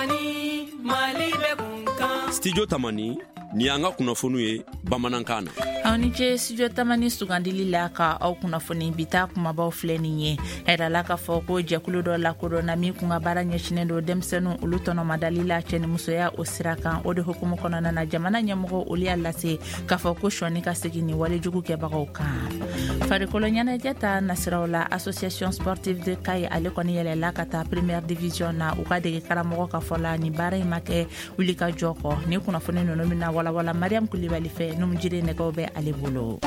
Tamani, Mali bɛ kun kan. Studio Tamani, nin y'an ka kunnafoniw ye bamanankan na. Aw ni ce Studio Tamani sugandili la ka aw kunnafoni. Bi ta kumabaw filɛ nin ye. A yirala k'a fɔ ko jɛkulu dɔ lakodɔnna min kun ka baara ɲɛsinen don denmisɛnninw olu tɔnɔmadali la cɛnimusoya o sira kan. O de hukumu kɔnɔna na, jamana ɲɛmɔgɔ olu y'a lase k'a fɔ ko sɔɔni ka segin ni walejugu kɛbagaw kan. Farikolo ɲɛnajɛ ta nasiraw la, Association sportive de Kayes ale kɔni yɛlɛla ka taa première division na. U ka dege karamɔgɔ ka fɔ la, nin baara in ma kɛ wuli ka jɔ kɔ. Ni kunnafoni ninnu bɛna walawala Mariam Kulibali fɛ, numujire nɛgɛw bɛ ale bolo.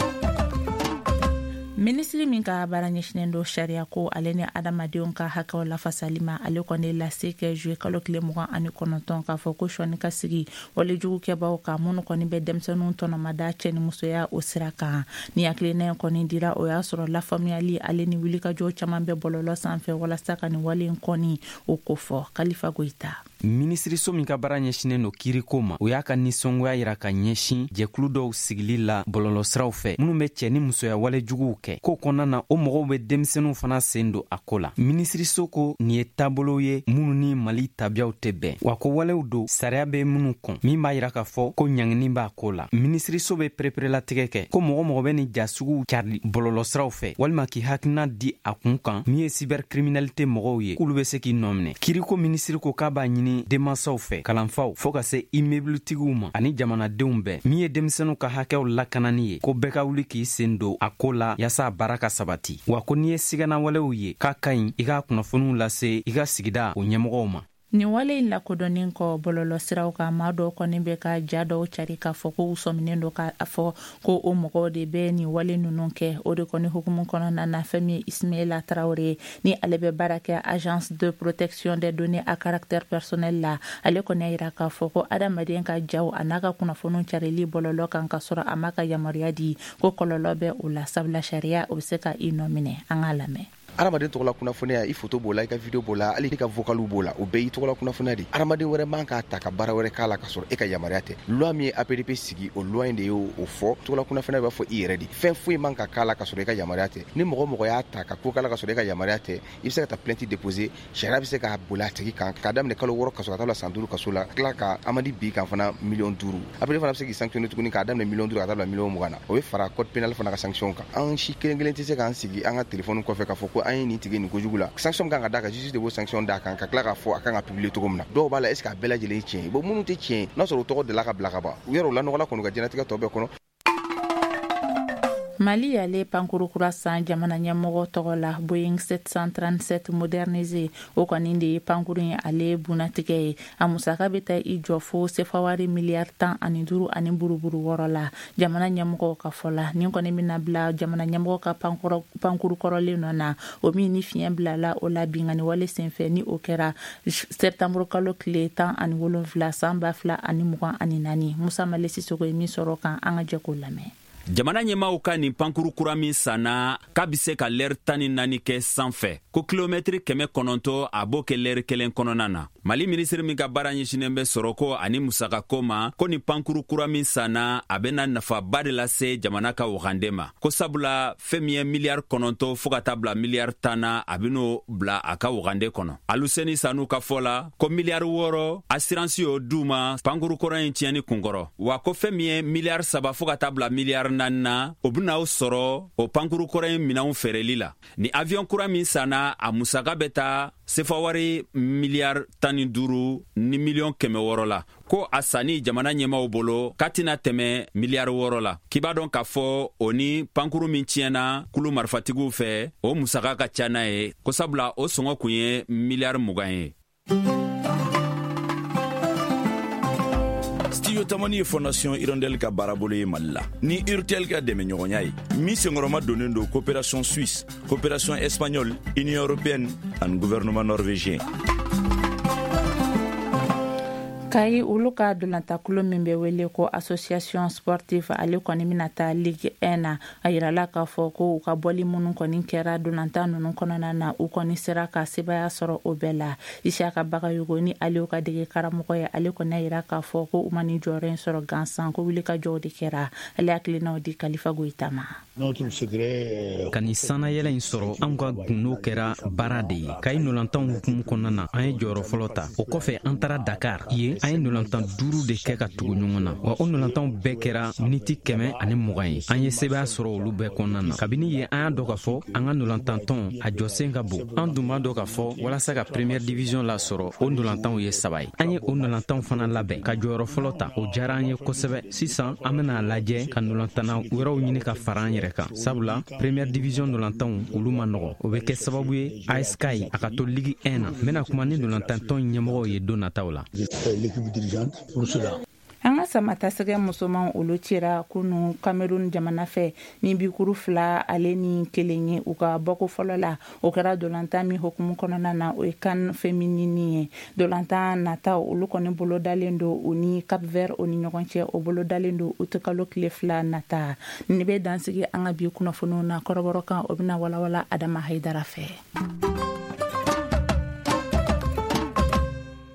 Minisiri min ka baara ɲɛsinen don sariya ko ale ni adamadenw ka hakɛw lafasali ma, ale kɔni lase kɛ juillet kalo tile 29 k'a fɔ ko sɔɔni ka sigi walejugu kɛbaw kan minnu kɔni bɛ denmisɛnninw tɔnɔmada cɛ ni musoya o sira kan. Ni hakilina in kɔni dira, o y'a sɔrɔ lafaamuyali ale ni wulikajɔ caman bɛ bɔlɔlɔ sanfɛ walasa ka nin wale in kɔni o kofɔ. Kalifa Goyita. Minisiriso min ka baara ɲɛsinnen don kiiriko ma, o y'a ka nisɔngoya yira ka ɲɛsin jɛkulu dɔw sigili la bɔlɔlɔsiraw fɛ minnu bɛ cɛ ni musoya wale juguw kɛ. Ko kɔnɔna na, o mɔgɔw bɛ denmisɛnninw fana sen don a ko la. Minisiriso ko nin ye taabolo ye minnu ni Mali tabiyaw tɛ bɛn, wa ko walew don sariya bɛ minnu kɔn, min b'a yira k'a fɔ ko ɲangini b'a ko la. Minisiriso bɛ pereperelatigɛ kɛ ko mɔgɔ mɔgɔ bɛ nin ja suguw cari bɔlɔlɔsiraw fɛ walima k'i hakilina di a kun kan min ye cybercriminalité mɔgɔw ye, k'olu bɛ se k'i nɔ minɛ. Kiriko minisiri ko k'a b'a ɲini denmansaw fɛ, kalanfaw, fɔɔ ka se immeubletigiw ma ani jamanadenw bɛɛ, min ye denmisɛnw ka hakɛw lakanani ye, ko bɛɛ ka wuli k'i sen don a ko la yaasa a baara ka sabati. Wa ko n'i ye siganawalew ye k'a ka ɲi, i k'a kunnafoniw lase i ka sigida o ɲɛmɔgɔw ma. Nin wale in lakodɔnnen kɔ bɔlɔlɔ siraw kan, maa dɔw kɔni bɛ ka ja dɔw cari k'a fɔ ko u sɔminen don k'a fɔ ko o mɔgɔw de bɛ nin wale ninnu kɛ. O de kɔni hukumu kɔnɔna na, fɛn min ye Ismaila Tarawele ni ale bɛ baara kɛ Agence de protection des données à caractère personnel la, ale kɔni y'a yira k'a fɔ ko adamaden ka jaw a n'a ka kunnafoniw carili bɔlɔlɔ kan ka sɔrɔ a ma ka yamaruya di, ko kɔlɔlɔ bɛ o la, sabula sariya o bɛ se ka i nɔ minɛ. An k'a lamɛn. Adamaden tɔgɔla kunnafoniya, i foto b'o la, i ka video b'o la, hali i ka vocaliw b'o la, o bɛɛ y'i tɔgɔla kunnafoniya de. Adamaden wɛrɛ man k'a ta ka baara wɛrɛ k'a la ka sɔrɔ e ka yamaruya tɛ. Loi min ye APDP sigi, o loi in de y'o fɔ. Tɔgɔla kunnafoniya b'a fɔ i yɛrɛ de, fɛn foyi man ka k'a la ka sɔrɔ i ka yamaruya tɛ. Ni mɔgɔ mɔgɔ y'a ta ka ko k'a la ka sɔrɔ e ka yamaruya tɛ, i bɛ se ka taa plainte déposer. Sariya bɛ se k'a boli a tigi kan k'a daminɛ kalo 6 kaso ka taa bila san 5 kaso la, tila ka amende bin kan fana miliyɔn 5. APDP fana bɛ se k'i sanctionner tuguni k'a daminɛ miliyɔn 5 ka taa bila miliyɔn 20 na. O bɛ fara code pénal fana ka sanction kan. An si kelen kelen tɛ se k'an sigi an ka téléphone kɔfɛ k'a fɔ ko an ye nin tigi nin kojugu la. Sanction kan ka d'a kan, justice de b'o sanction d'a kan ka tila k'a fɔ a kan ka publier cogo min na. Dɔw b'a la, est ce que a bɛɛ lajɛlen tiɲɛ ye? Bon, minnu tɛ tiɲɛ ye, n'a sɔrɔ u tɔgɔ delila ka bila ka ban, u yɛrɛ u lanɔgɔla kɔni u ka diɲɛlatigɛ tɔ bɛɛ kɔnɔ. Mali y'ale pankuru kura san jamana ɲɛmɔgɔ tɔgɔ la, Boeing 737 modernisé. O kɔni de ye pankuru ye, ale bunnatigɛ ye. A musaka bɛ taa i jɔ fo sefawari miliyari 15 ani buruburu 6 la. Jamana ɲɛmɔgɔw ka fɔ la, nin kɔni bɛna bila jamana ɲɛmɔgɔ ka pankuru kɔrɔlen nɔ na, o min ni fiɲɛ bilala o la binkanni wale senfɛ, ni o kɛra septembre kalo tile 17 san 2024. Musa Male Sisoko ye min sɔrɔ kan, an ka jɛ k'o lamɛn. Jamana ɲɛmaaw ka nin pankuru kura min sanna, k'a bɛ se ka lɛri 14 kɛ sanfɛ, ko kilomɛtiri 900 a b'o kɛ lɛri kelen kɔnɔna na. Mali minisiri min ka baara ɲɛsinnen bɛ sɔrɔko ani musakako ma, ko nin pankuru kura min sanna, a bɛna nafaba de lase jamana ka wagande ma, ko sabula fɛn min ye miliyari 9 fɔɔ ka taa bila miliyari 10 na, a ben'o bila a ka wagande kɔnɔ. Aluseni Sanu ka fɔ la, ko miliyari 6 assurance y'o d'u ma pankuru kɔrɔ in tiɲɛni kunkɔrɔ, wa ko fɛn min ye miliyari 3 fɔɔ ka taa bila miliyari 4 na, o bena o sɔrɔ o pankuru kɔrɔ in minɛnw feereli la. Ni avion kura min sanna, a musaka bɛ taa sefawari miliyari 15 ni miliyɔn 600 la. Ko a sanni jamana ɲɛmaw bolo k'a tɛna tɛmɛ miliyari 6 la. K'i b'a dɔn k'a fɔ o ni pankuru min tiɲɛna kulu marifatigiw fɛ, o musaka ka ca n'a ye, ko sabula o sɔngɔ kun ye miliyari 20 ye. Studio Tamani ye Fondation Hirondelle ka baarabolo ye Mali la ni Urtel ka dɛmɛɲɔgɔnya ye, min senkɔrɔma donnen don coopération suisse, coopération espagnole, Union européenne ani gouvernement norvégien. Kayi, olu ka dolantankulu min bɛ wele ko Association Sportive, ale kɔni bɛna taa Ligue 1 na. A yirala k'a fɔ ko u ka bɔli minnu kɔni kɛra dolantan ninnu kɔnɔna na, u kɔni sera ka sebaya sɔrɔ o bɛɛ la. Isiyaka Bagayogo ni ale ka dege karamɔgɔ ye, ale kɔni y'a yira k'a fɔ ko u ma nin jɔyɔrɔ in sɔrɔ gansan, ko wulikajɔw de kɛra. Ale hakilinaw di Kalifa Goyita ma. Ka nin sannayɛlɛ in sɔrɔ, anw ka gundo kɛra baara de ye. Kayi ndolantanw hukumu kɔnɔna na, an ye jɔyɔrɔ fɔlɔ ta. O kɔfɛ, an taara Dakar. Yen, an ye ndolantan duuru de kɛ ka tugu ɲɔgɔn na, wa o ndolantanw bɛɛ kɛra miniti 120 ye. An ye sebaya sɔrɔ olu bɛɛ kɔnɔna na. Kabini yen, an y'a dɔn k'a fɔ an ka ndolantantɔn a jɔsen ka bon. An dun b'a dɔn k'a fɔ walasa ka première division lasɔrɔ, o ndolantanw ye saba ye. An ye o ndolantanw fana labɛn ka jɔyɔrɔ fɔlɔ ta. O diyara an ye kosɛbɛ. Sisan, an bena a lajɛ ka ndolantanna wɛrɛw ɲini ka fara an yɛrɛ kan, sabula première division ndolantanw, olu ma nɔgɔ. O bɛ kɛ sababu ye AS Kayi a ka to Ligue 1 na. N bena kuma ni ndolantantɔn ɲɛmɔgɔw ye don nataw la. An ka samatasɛgɛ musomanw, olu cira kunu Cameroun jamana fɛ ni bikuru 2 ani 1 ye u ka bɔko fɔlɔ la. O kɛra dolantan min hukumu kɔnɔna na, o ye CAN féminine ye. Dolantan nataw, olu kɔni bolo dalen don u ni Cap Vert o ni ɲɔgɔn cɛ. O bolo dalen don utikalo tile 2 nata. Ni bɛ dansigi an ka bi kunnafoniw na kɔrɔbɔrɔ kan, o bɛna walawala Adama Hayidara fɛ.